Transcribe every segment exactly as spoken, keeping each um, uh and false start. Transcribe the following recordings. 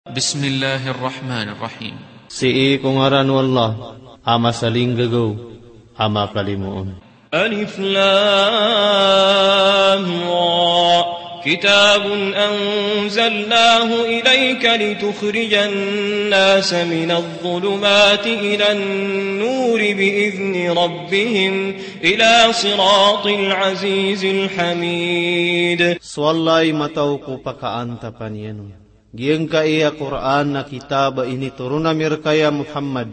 Bismillahir Rahmanir Rahim. Sii ko ngaran o Allah, a masalinggagaw, a makalimoon. Alif Lam Ra. Kitabun anzalnahu ilayka litukhrijan nasa minadh dhulumati ilan nuri biidhni rabbihim ila siratil azizil hamid. So Allah i mataw ko pakaantapan iyan on. Giyangkai a Qur'an a kitab a initoron ami rka ya Muhammad,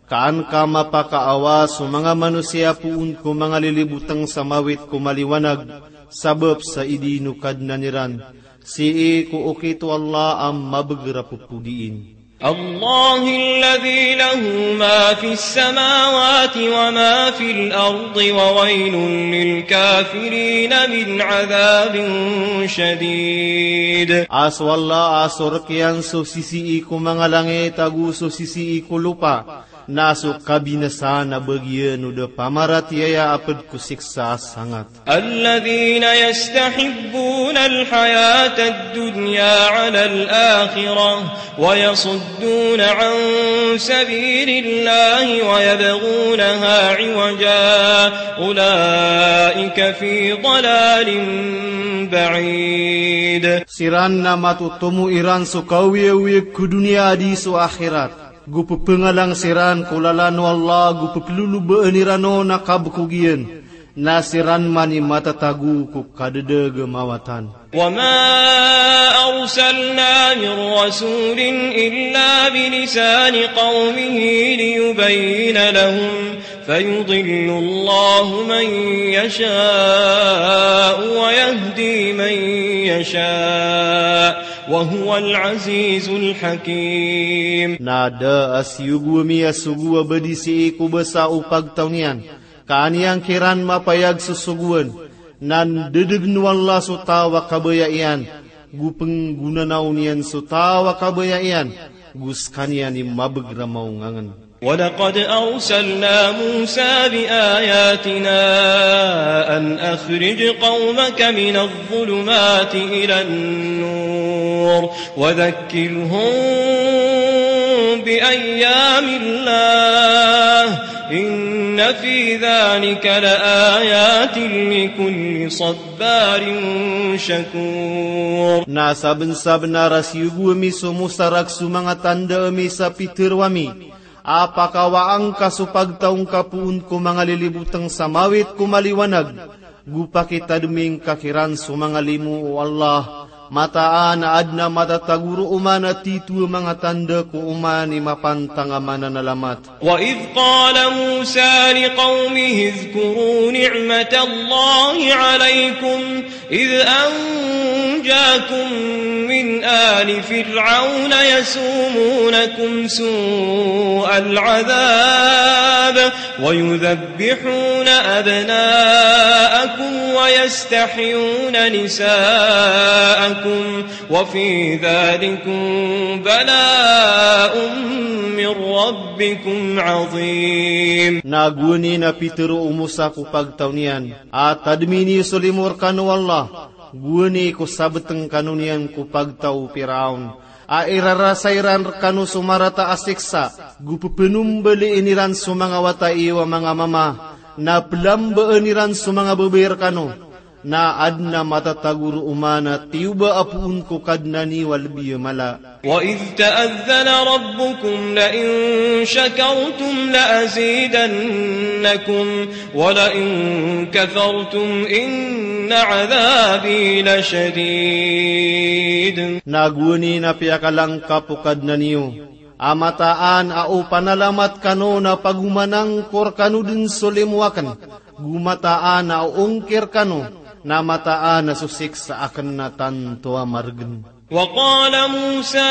ka an ka mapakaawa so manga manosiya poon ko manga lilibotang sa mawit ko maliwanag, sabap sa idin o Kadnan iran, sii ko okit o Allah a mabagr a pphodiin. Allahilladhi lahu ma fis samawati wa ma fil ardi wa waylun lil kafirin min adhabin shadid. A so Allah a so rk iyan so sisii ko manga langit ago so sisii ko lopa, na so kabinasaan a bagian o da pamaratiyaya a pd ko siksa a sangat. Alladhina yastahibbuna al-hayata ad-dunya ala al-akhirah wa yasudduna an sabilillahi wa yabghunaha iwaja, ulaika fi dalalin ba'id. Siran na matotomo iran so kaoyagoyag ko doniya a di so akhirat, go pphanglang siran ko lalan o Allah, go pplolobaan iran on a kabkog iyan, na siran man i matatago ko kadadagmawatan. Wa ma arsalna min rasulin illa bi lisani qawmihi liyubayyina lahum, fayudillu Allahu man yasha'u wa yahdi man yasha', wa huwal azizul hakim. Na da a siyogo ami a sogo a ba di sii ko basa o pagtaw niyan, ka an iyan kiran mapayag so sogoan, na ndadagn o Allah so taw a kabaya iyan, go pnggonanaw niyan so taw a kabaya iyan, go skaniyan i mabagr a maongangn. Wa laqad arsalna Musa bi ayatina an akhrij qawmaka min adh-dhulumati ila an-nur wa dhakkirhum bi ayyamillah. Inna fi dhalika la ayatin li kulli sabbarin shakur. Na sabnsabnar a siyogo ami so Musa rk so manga tanda ami sa pitharo ami, a pakawaa ngka so pagtaw ngka poon ko manga lilibotang sa mawit ko maliwanag, go pakitadmi ngka kiran so manga limo o Allah, mataan a adn a matatago roo man a tito a manga tanda ko oman i mapantang a mananalamat. Wa idh qala Musa li qawmihi idhkuru ni'matallahi alaykum idh anjakum min ali Fir'awna yasumunakum su'al adhab wa yudhabbihuna abna'akum wa yastahyuna nisa'akum wa fi dhalikum bala'un min rabbikum azim. Na gowani na pitharo o Musa ko pagtaw niyan a tadmi niyo so limo rkano o Allah, gowani ko sabtng kano niyan ko pagtaw o Piraon, a irarasay ran rkano so marata a siksa, go pphanombaliin iran so manga wata iyo a manga mama, na plambaan iran so manga babay rkano, na adn a matatago roo man a tiyoba a poon ko Kadnan iyo a lbi a mala. Wa idh ta'adhana rabbukum la in shakartum la azidannakum wa la in kafartum inna adhabi la shadid. Na gowani na piyakalangkap o Kadnan iyo a mataan a o panalamat kano na pagomanangkor kano dn so limo akn, go mataan a o ongkir kano, na mataan a so siksa akn na tanto a margn. Wa qala Musa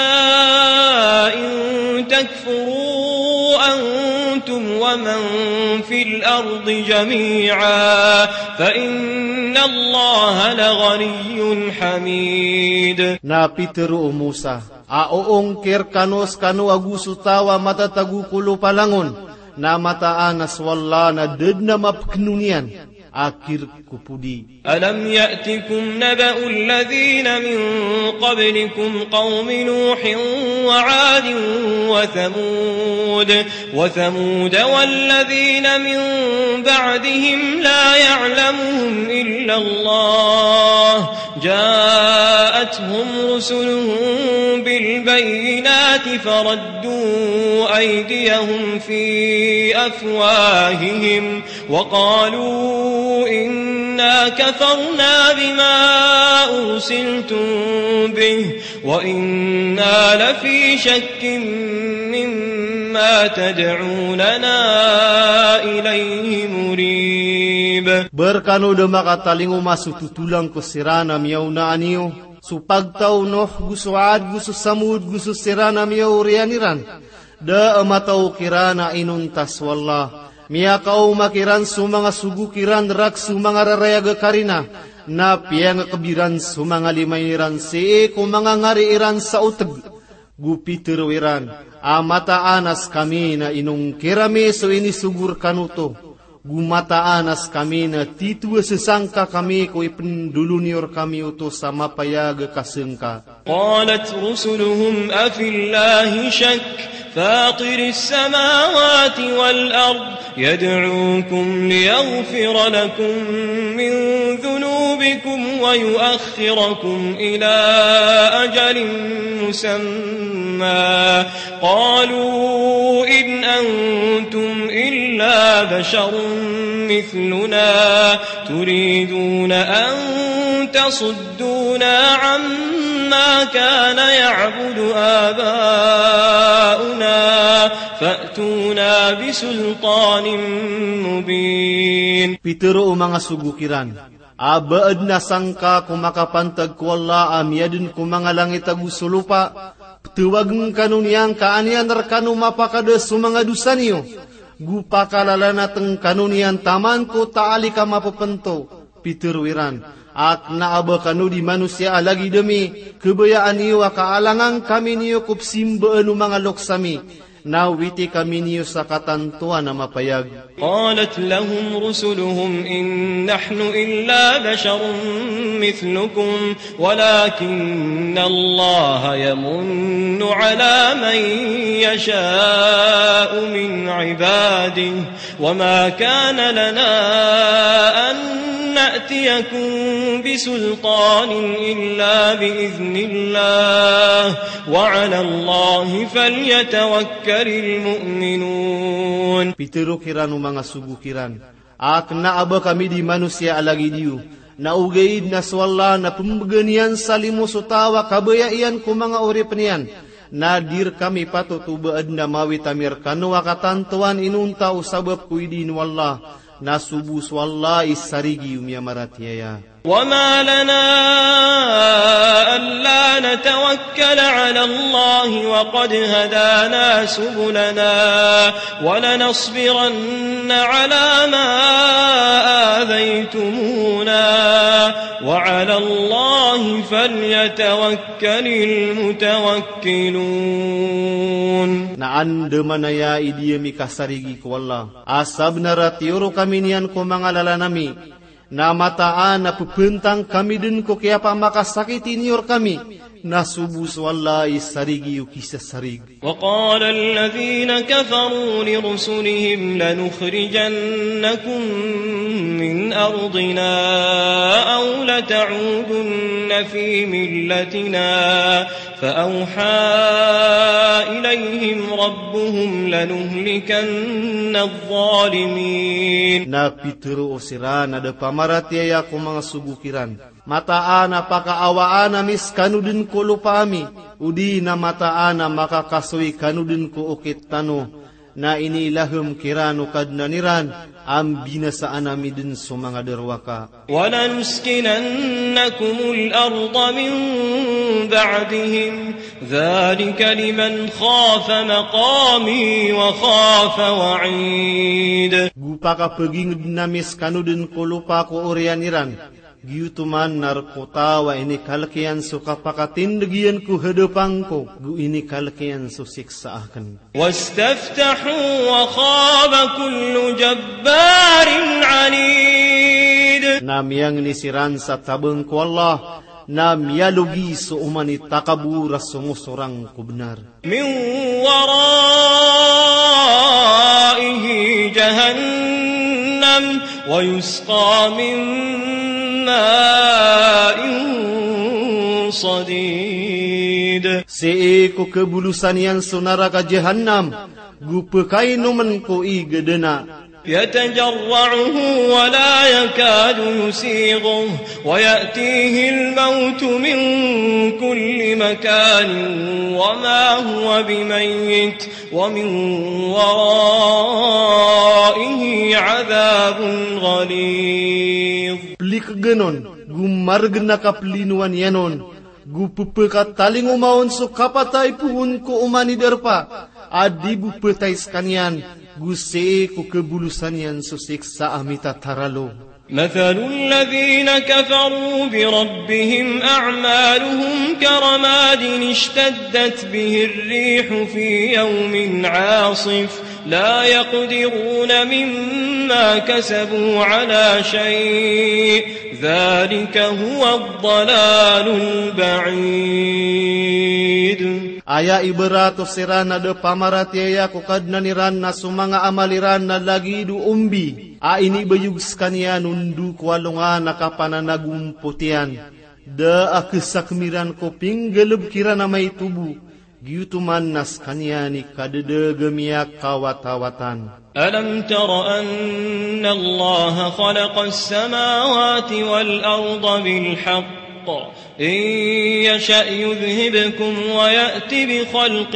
in takfuru antum wa man fil ardi jami'a fa inna Allaha la ghaniyyun hamid. Na pitharo o Musa a o ongkir kano skano ago so taw a matatago ko lopa langon, na mataan a so Allah na da dn a mapkno niyan, a kirk ko podi. ألم يأتكم نبأ الذين من قبلكم قوم نوح وعاد وثمود، وثمود والذين من بعدهم لا يعلمهم إلا الله، جاءتهم رسلهم بالبينات فردوا أيديهم في أفواههم وقالوا إنا كفرنا بما أرسلتم به وإنا لفي شك مما تدعوننا إليه مريب. Ba rkano da makatalingoma so totolang ko siran a miyaonaan iyo, so pagtaw o Nuh, go so Ad, go so Samud, go so siran a miyaoriyan iran. Da a matao kiran a inonta so Allah. Miyakaoma kiran so manga sogo kiran rak so manga rarayag a karina. Na piyangakb iran so manga lima iran sii ko manga ngari iran sa otg. Go pitharo iran a mataan a skami na inongkir ami so inisogo rkano oto. Go mataan a skami na titho a sasangka kami ko ipndolon iyo rkami oto sa mapayag a kasangka. قالت رسلهم أفي الله شك فاطر السماوات والأرض يدعوكم ليغفر لكم من ذنوبكم ويؤخركم إلى أجل مسمى قالوا إن أنتم إلا بشر مثلنا تريدون أن تصدونا عما كان يعبد آباؤنا فأتونا بسلطان مبين. Pitharo o manga sogo kiran a ba adn a sangka ko makapantag ko Allah a miyadn ko manga langit ago so lopa, ptawagn kano niyan ka an iyan rkano mapakada so manga dosa niyo, go pakalalanatn kano niyan taman ko taalik a mapepento. Pitharo iran a kna a ba kano di manosiya a lagid ami, kabayaan iyo a kaalangan kami niyo ko psimbaan o manga loks ami, na witi kami niyo sa katantowan a mapayag. قالت لهم رسلهم إن نحن إلا بشر مثلكم ولكن الله يمن على من يشاء من عباده وما كان لنا أن نأتيكم بسلطان إلا بإذن الله وعلى الله فليتوكل المؤمنون. Pitharo kiran o manga sogo kiran a kna a ba kami di manosiya a lagid iyo, na ogaid na so Allah na pmbgan iyan sa limo so taw a kabaya iyan ko manga oripn iyan, na di rkami patot o ba adn a mawit ami rkano a katantowan inonta o sabap ko idin o Allah, na so bo so Allah i sarigi o miyamaratiyaya. وما لنا ألا نتوكل على الله وقد هدانا سبلنا ولنصبرن على ما آذيتمونا وعلى الله فليتوكل المتوكلون. Na andamanaya i di ami kasarigi ko Allah a sabnar a tiyoron kami niyan ko manga lalan ami, na mataan a pphantang kami dn ko kiyapamakasakiti niyo rkami, na so bo so Allah i sarigi o kisasarig. وقال الذين كفروا لرسلهم لنخرجنكم من أرضنا أو لتعودن في ملتنا فأوحى إليهم ربهم لنهلكن الظالمين. Na pitharo o siran a da pamaratiyaya ko manga sogo kiran, mataan a pakaawaan ami skano dn ko lopa ami, odi na mataan a makakasoy kano dn ko okit tano, na inilaham kiran o Kadnan iran a mbinasaan ami dn so manga darowaka. ولنسكننكم الأرض من بعدهم ذلك لمن خاف مقامي وخاف وعيد. Go pakapagingd ami skano dn ko lopa ko oriyan iran, giyoto man na rk o taw a inikalk iyan so kapakatindg iyan ko hadapan ko, go inikalk iyan so siksa akn. واستفتحوا وخاب كل جبار عنيد. Na miyangni siran sa tabang ko Allah, na miyalogi so oman i takabor a songosorang ko bnar. من ورائه جهنم ويسقى من ماء صديد. Sii ko kabolosan iyan so naraka Jahannam, go pkainomn ko ig a dana. يتجرعه ولا يكاد يسيغه ويأتيه الموت من كل مكان وما هو بميت ومن ورائه عذاب غليظ. Plikgn on, go margn a kaplinowan iyan on, go ppkatalingoma on so kapatay poon ko oman i darpa a di bo ptay skaniyan, go sii ko kabolosan iyan so siksa a mitataralo. مثل الذين كفروا بربهم أعمالهم كرماد اشتدت به الريح في يوم عاصف لا يقدرون مما كسبوا على شيء ذلك هو الضلال البعيد. Aya ibarat o siran a da pamaratiyaya ko Kadnan iran na so manga amal iran na lagid o ombi a inibayog skaniyan o ndo ko alongan a kapananagompot iyan. Da a ksakm iran ko pinggalbk iran a maito bo, giyoto man na skaniyan i kadadaga miyakawatawatan. ألم تر أن الله خلق السماوات والأرض بالحق إن يشأ يذهبكم ويأت بخلق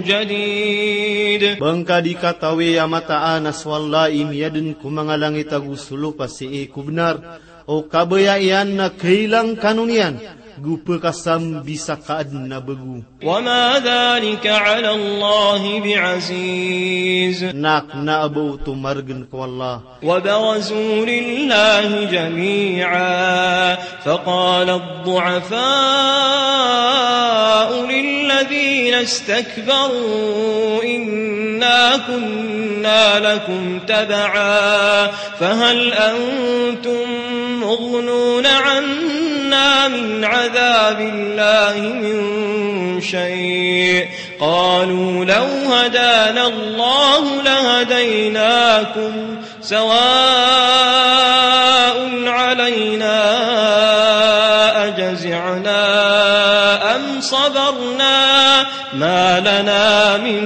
جديد. Ba ngka di katawi a mataan a so Allah i miyadn ko manga langit ago so lopa sii ko bnar, o kabaya iyan na kailang kano niyan, go pkasambisa ka adn a bago. وما ذلك على الله بعزيز. Na kna a ba oto margn ko Allah. وبرزوا لله جميعا فقال الضعفاء للذين استكبروا إنا كنا لكم تبعا فهل أنتم مغنون عنا من عذاب الله من شيء قالوا لو هدانا الله لهديناكم سواء علينا أجزعنا أم صبرنا ما لنا من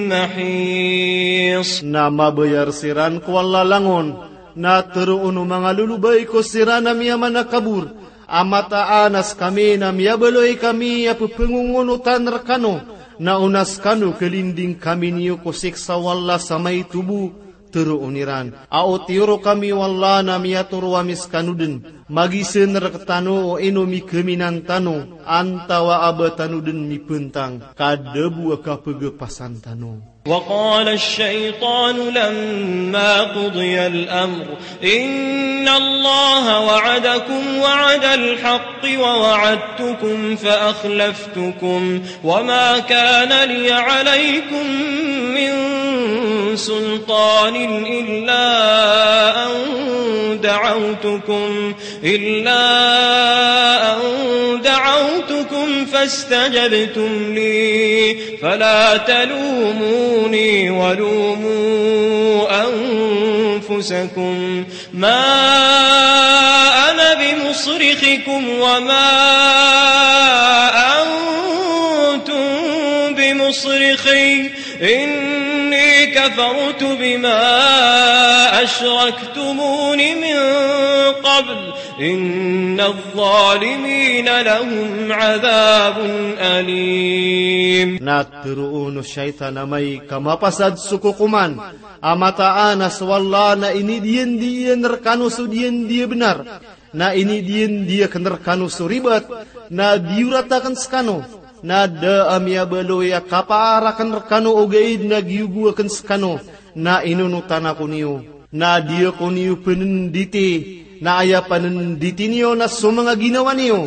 محيص. Na mabayar siran ko Allah langon, na tharoon o manga lolobay ko siran a miyamanakabor, a mataan a skami na miyabaloy kami a pphangongoonotan rkano, na o na skano kalinding kami niyo ko siksa o Allah sa maito bo, tharoon iran. A o tiyoro kami o Allah na miyatoro ami skano dn, magizan rktano o ino mikaminan tano, antawaa ba tano dn mipntang, ka da bo a kapagapasan tano. وقال الشيطان لما قضي الأمر إن الله وعدكم وعد الحق ووعدتكم فأخلفتكم وما كان لي عليكم من سلطان إلا أن دعوتكم إلا أن دعوتكم فاستجبتم لي فلا تلوموني ولوموا أنفسكم ما أنا بمصرخكم وما أنتم بمصرخي إني كفرت بما أشركتمون من قبل إن الظالمين لهم عذاب أليم. Na tharoon o shaytan a amay ka mapasad so kokoman, a mataan a so Allah na inidiyan-diyan rkano so diyan di a bnar, na inidiyan-diyan akn rkano so ribat, na diyorat akn skano, na da a miyabaloy a kapaar akn rkano ogaid na giyogo akn skano, na inonotan ako niyo. Na di ako niyo pnnditi, na aya pnnditi niyo na so manga ginawa niyo,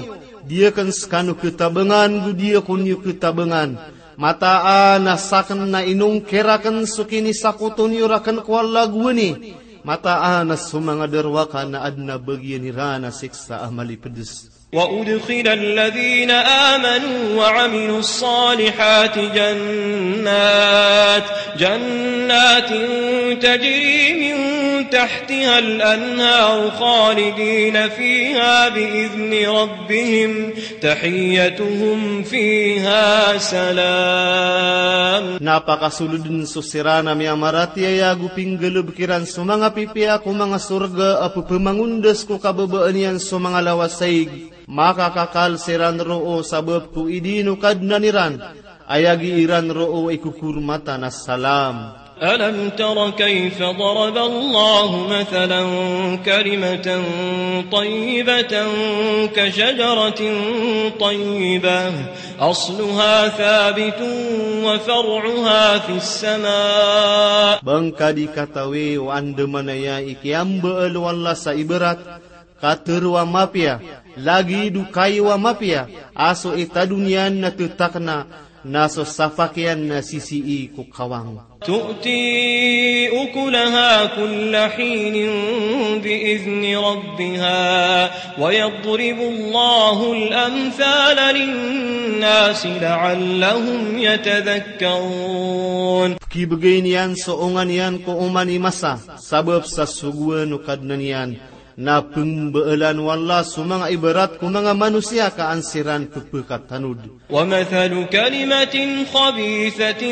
di akn skano ktabangan, go di ako niyo ktabangan. Mataan a sakn na inongkir akn so kinisakoto niyo rakn ko Allah gowani, Mataan a so manga darowaka na adn a bagian iran a siksa a malipedes. وأدخل الذين آمنوا وعملوا الصالحات جنات، جنات تجري من تحتها الأنهار خالدين فيها بإذن ربهم تحيتهم فيها سلام. Na pakasoldn so siran a miyamaratiyaya ago pinggalbk iran so manga pipiya ko manga sorga a pepemangondas ko kababaan iyan so manga lawasaig. Makakakal siran roo sabap ko idin o Kadnan iran. Aya gi iran roo i kokormatan a salam. ألم تر كيف ضرب الله مثلا كلمة طيبة كشجرة طيبة أصلها ثابت وفرعها في السماء. Ba ngka di katawi o andamanaya i kiyambaal o Allah sa ibarat, katharo a mapiya, lagid o kayo a mapiya, a so itado niyan na ttakna, na so sapak iyan na sisii ko kawang. تؤتي أكلها كل حين بإذن ربها ويضرب الله الأمثال للناس لعلهم يتذكرون. Pkibgay niyan so onga niyan ko oman i masa, sabap sa sogoan o Kadnan iyan. Na pmbaalan o Allah so manga ibarat ko manga manosiya ka an siran ppkatanod. ومثل كلمة خبيثة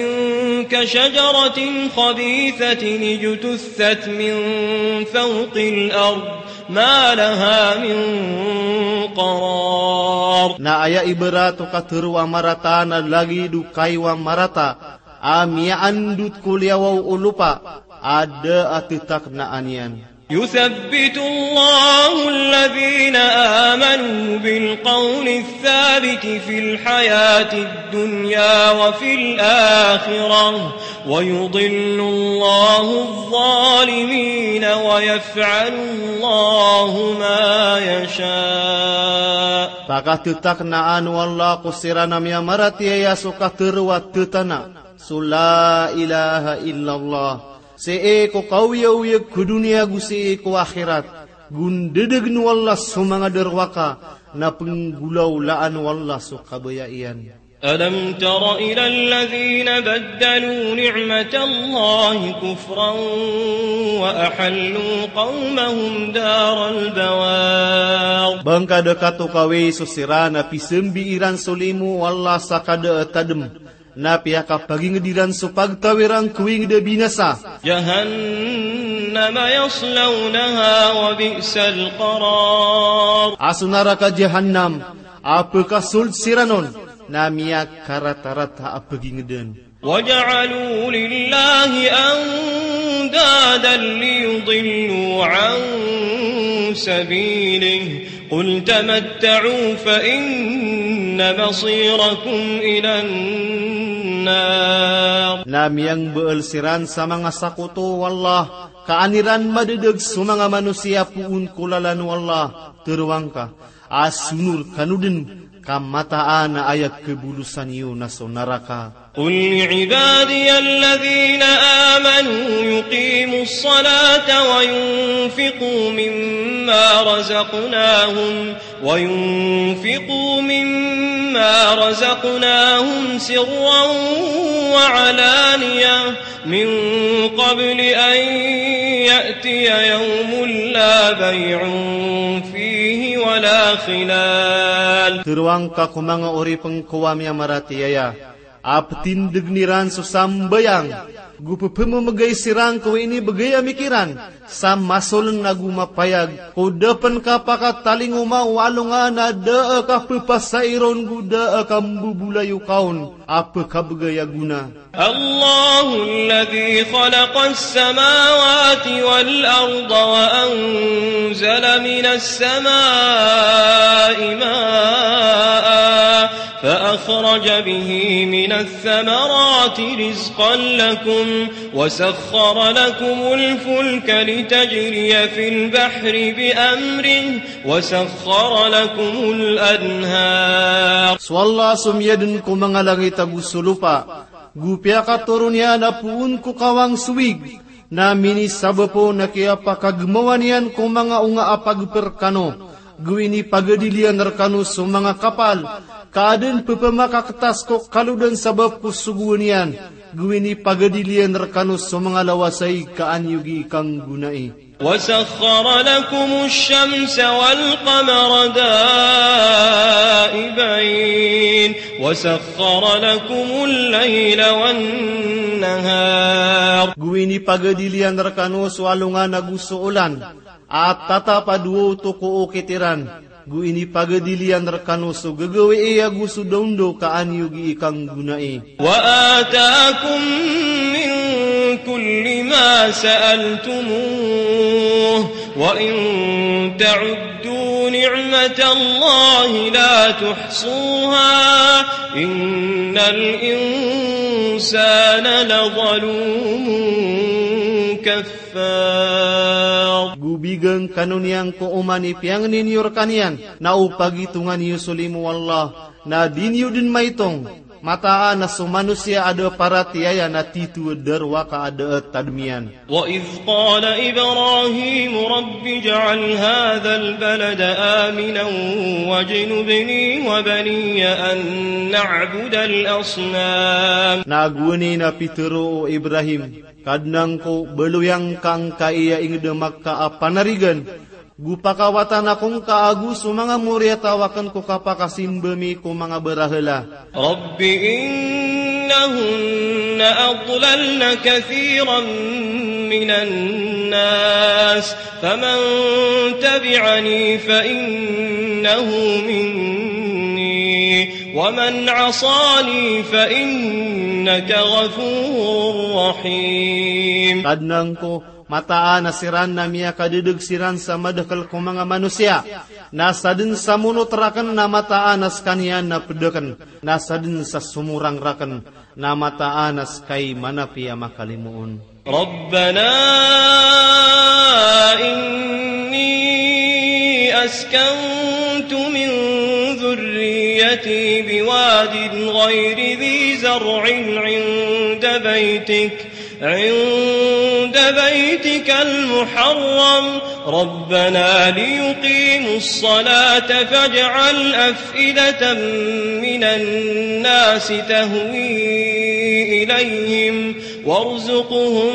كشجرة خبيثة اجتثت من فوق الأرض ما لها من قرار. Na aya ibarat o katharo a marata na lagid o kayo a marata a miyaandot ko liyawaw o lopa a da a ttaknaan iyan. يثبت الله الذين آمنوا بالقول الثابت في الحياة الدنيا وفي الآخرة ويضل الله الظالمين ويفعل الله ما يشاء. Pakattaknaan o Allah ko siran a miyamaratiyaya so katharo a tthana, so la ilaha illallah. Sii ko kaoyagoyag ko doniya ago sii ko akhirat. Go ndadagn o Allah so manga darowaka, na pnggolawlaan o Allah so kabaya iyan. ألم تر إلى الذين بدلوا نعمة الله كفرا وأحلوا قومهم دار البوار. Ba ngka da katokawi so siran a pisambi iran so limo o Allah sa kada a tadm, na piyakapagingd iran so pagtaw iran ko ingd a binasa. جهنم يصلونها وبئس القرار. A so naraka Jahannam a pkasold siran on na miyakaratarata a pagingdn. وجعلوا لله أندادا ليضلوا عن سبيله قل تمتعوا فإن مصيركم إلى النار. Na miyangbaal siran sa manga sakoto o Allah, ka an iran madadag so manga manosiya poon ko lalan o Allah, tharoa ngka, a sonor kano dn, ka mataan a aya kabolosan iyo na so naraka. قل لعبادي الذين آمنوا يقيموا الصلاة وينفقوا مما رزقناهم، وينفقوا مما رزقناهم سرا وعلانية من قبل أن يأتي يوم لا بيع فيه ولا خلال. Tharoa ngka ko manga oripn ko a miyamaratiyaya, a ptindgn iran so sambayang, go pphamamgay siran ko inibgay a mikiran, sa masoln ago mapayag, ko da pn kapakatalingoma o alongan a da a kapphasai ron go da a kambobolayoka on a pkabgay a gona. الله الذي خلق السماوات والأرض وأنزل من السماء ماء فأخرج به من الثمرات رزقا لكم وسخر لكم الفلك لتجري في البحر بأمره وسخر لكم الأنهار. So Allah so miyadn ko manga langit ago so lopa, go piyakatoron iyan a poon ko kawang so wig, Na minisabap on a kiyapakagmawa niyan ko manga onga a pagpr kano, go inipagadil iyan rkano so manga kapal, ka adn pphamakaktas ko kalodan sabap ko sogoan iyan, go inipagadil iyan rkano so manga lawasayg ka an iyo gii kanggonai. وسخر لكم الشمس والقمر دائبين وسخر لكم الليل والنهار. Go inipagadil iyan rkano so alongan ago so olan, a tatap a dowa oto ko okit iran. Go inipagadil iyan rkano so gagawii ago so daondaw ka an iyo gii kanggonai. وآتاكم من كل ما سألتموه وإن تعدوا نعمة الله لا تحصوها إن الإنسان لظلوم كفار. Go bigan kano niyan ko oman i piyangni niyo rkaniyan, na o pagitongan iyo so limo o Allah, na di niyo dn maitong, mataan a so manosiya a da paratiyaya na tito a darowaka a da a tadm iyan. وإذ قال إبراهيم رب اجعل هذا البلد آمنا واجنبني وبني أن نعبد الأصنام. Na gowani na pitharo o Ibrahim, Kadnan ko, baloy angka angkai a ingd a Makkah a panarigan, go pakawatan ako ngka ago so manga moriyataw akn ko kapakasimba mi ko manga barahala. رب إنهن أضللن كثيرا من الناس فمن تبعني فإنه مني ومن عصاني فإنك غفور رحيم. Kadnan ko, mataan a siran na miyakadadg siran sa madakl ko manga manosiya, na sadn sa monot rakn na mataan a skaniyan na pd akn, na sadn sa somorang rakn na mataan a ska i manapiya makalimoon. ربنا إني أسكنت من ذريتي بواد غير ذي زرع عند بيتك عند بيتك المحرم ربنا ليقيموا الصلاة فاجعل أفئدة من الناس تهوي إليهم وارزقهم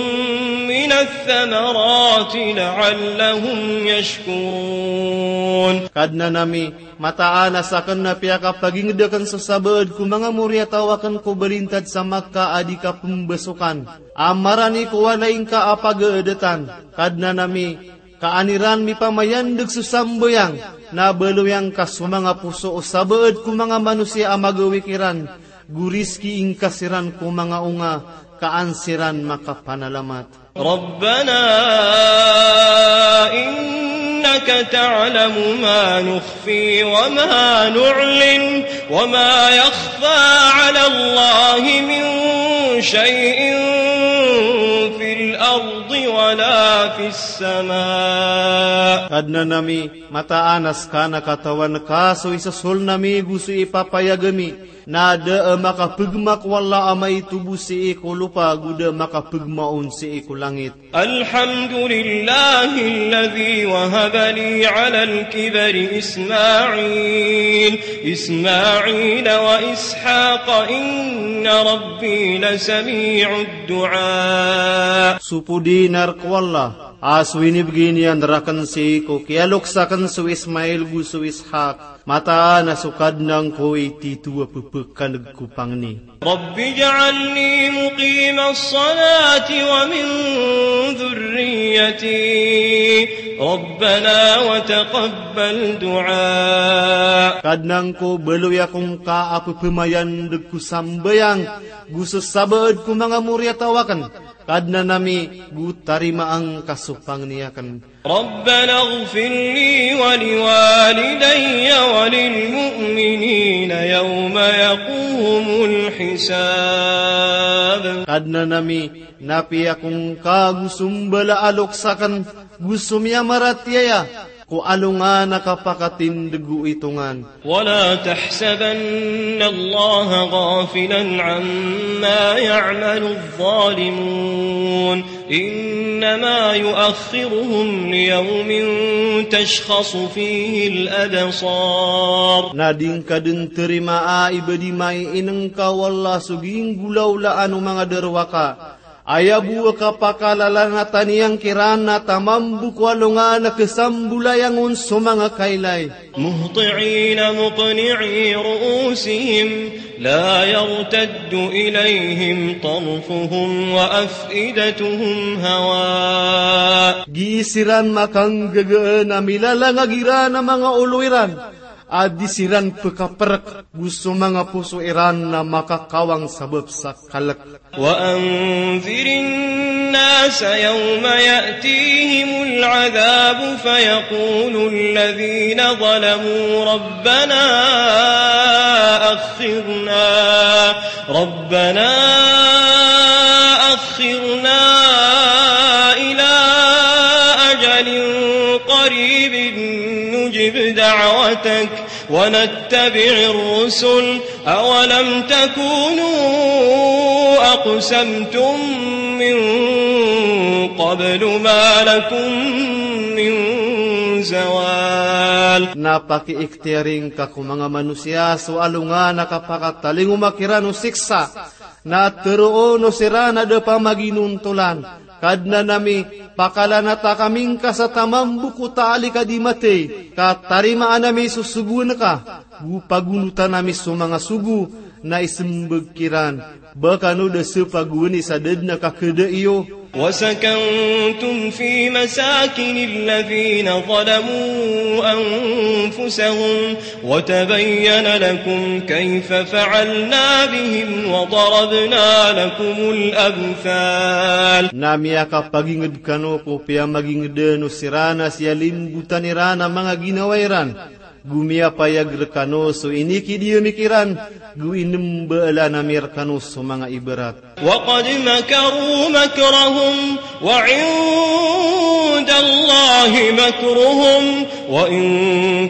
من الثمرات لعلهم يشكرون. Kadnan ami, mataan a sakn na piyakapagingd akn so sabaad ko manga moriyataw akn ko balintad sa Makkah a di kapmbasokan a marani ko walay ngka a pagaadatan. Kadnan ami, ka an iran mipamayandg so sambayang, na baloy angka so manga poso o sabaad ko manga manosiya a magawik iran, go rizkii ngka siran ko manga onga, ka an siran makapanalamat. ربنا إنك تعلم ما نخفي وما نعلن وما يخفى على الله من شيء في الأرض ولا في السماء. Kadnan ami, mataan a ska na katawan ka so isasoln ami go so ipapayag ami, na da a makapgma ko Allah a maito bo sii ko lopa, go da a makapgma on sii ko langit. الحمد لله الذي وهب لي على الكبر إسماعيل إسماعيل وإسحاق إن ربي لسميع الدعاء. So podinar ko Allah a so inibgay niyan rakn sii ko kiyalok sakn so Ismail go so Ishaq. Mataan a so Kadnan ko i tito a pphakan'g ko pangni. رب اجعلني مقيم الصلاة ومن ذريتي ربنا وتقبل دعاء. Kadnan ko, baloy ako ngka a pphamayandg ko sambayang go so sabaad ko manga moriyataw akn. Kadnan ami, go tarimaa ngka so pangni akn. ربنا اغفر لي ولوالدي وللمؤمنين يوم يقوم الحساب. Kadnan ami, na piya ko ngka go so mbala a loks akn go so miyamaratiyaya ko alongan a kapakatindeg o itongan. ولا تحسبن الله غافلا عما يعمل الظالمون إنما يؤخرهم ليوم تشخص فيه الأبصار. Na di ngka den terimaa i ba di mainengka o Allah so ginggolawlaan o manga derowaka. Aya bo a kapakalalanatan iyan kiran na tamambo ko alongan a kesambolayang on so manga kailay. مهطعين مقنعي رؤوسهم لا يرتد إليهم طرفهم وأفئدتهم هواء. Gii siran makanggagaan a milalangag iran a manga olo iran, a di siran pekaperek, go so manga poso iran na makakawang sabap sa kalek. وأنذر الناس يوم يأتيهم العذاب فيقول الذين ظلموا ربنا أخرنا، ربنا أخرنا إلى أجل قريب نجب دعوتك ونتبع الرسل أولم تكونوا أقسمتم من قبل ما لكم من زوال. Na pakiikhtiyari ngka ko manga manosiya so alongan a kapakatalingoma kiran o siksa. Na teroon o siran a da pamaginontolan, Kadnan ami, pakalanata kami ngka sa tamambo ko taalik a di matey, ka tarimaan ami so sogoan ka, go pagonotan ami so manga sogo. Na isembag kiran, ba kano da sepagoani sa da den a kakada iyo. وسكنتم في مساكن الذين ظلموا أنفسهم وتبين لكم كيف فعلنا بهم وضربنا لكم الأمثال. Na miyakapaginged kano ko piyamagingeden o siran a siyalimbotan iran a manga ginawa iran. Go miyapayag rekano so inikidiya mi kiran, go inembaalan ami rekano so manga ibarat. وقد مكروا مكرهم وعند الله مكرهم وإن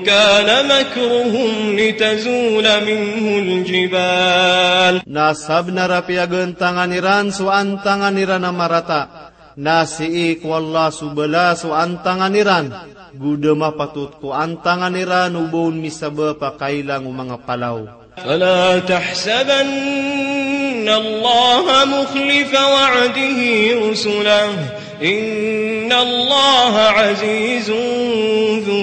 كان مكرهم لتزول منه الجبال. Na sabenar a piyagantangan iran so antangan iran a marata. Na sii ko Allah so bala so antangan iran, go da mapatot ko antangan iran o ba on misabap a kailang o manga palaw. فلا تحسبن الله مخلف وعده رسله إن الله عزيز ذو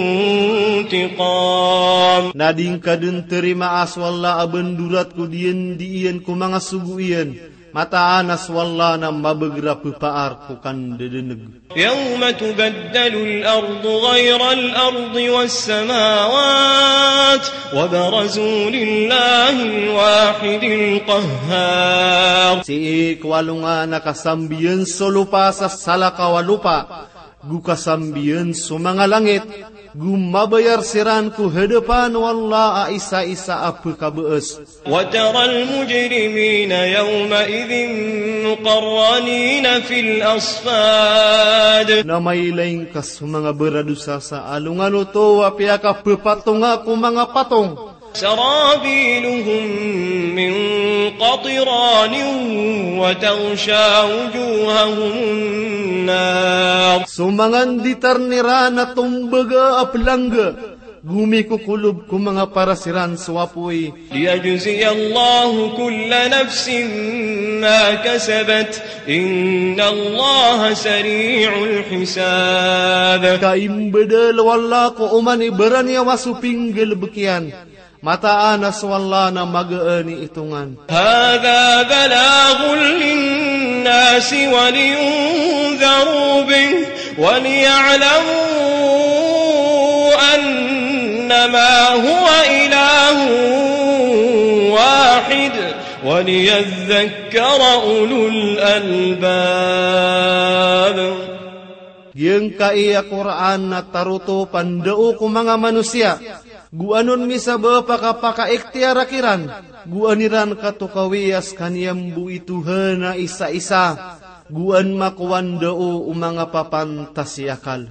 انتقام. Na di ngka den terimaa so Allah a bendorat ko diyandi iyan ko manga sogo iyan. Mataan a so Allah na mabeger a pepaar ko kandedeneg. يوم تبدل الأرض غير الأرض والسماوات وبرزوا لله الواحد القهار. Sii ko alongan a kasambiyan so lopa sa salakaw a lopa, go kasambiyan so manga langit, go mabayar siran ko hadapan o Allah a isa-isa a pekabaas. وترى المجرمين يومئذ مقرنين في الأصفاد. Na mailay ngka so manga baradosa sa alongan oto a piyakapepatonga ko manga patong. سرابيلهم من قطران وتغشى وجوههم النار. So manga nditarn iran a tombaga a pelangga, go mikokolob ko manga paras iran so apoy. ليجزي الله كل نفس ما كسبت إن الله سريع الحساب. Ka imbedel o Allah ko oman i baraniyawa so pinggalebek iyan. Mataan a so Allah na magaan i itongan. هذا بلاغ للناس ولينذروا به وليعلموا أنما هو إله واحد وليذكر أولو الألباب. Giyangkai a Qur'an na tarotop a ndao ko manga manosiya, go anon misabap a kapakaikhtiyar kiran, go an iran katokawi a sekaniyan bo i Tohan a isa-isa, go an makowa ndao o manga papantas i akal.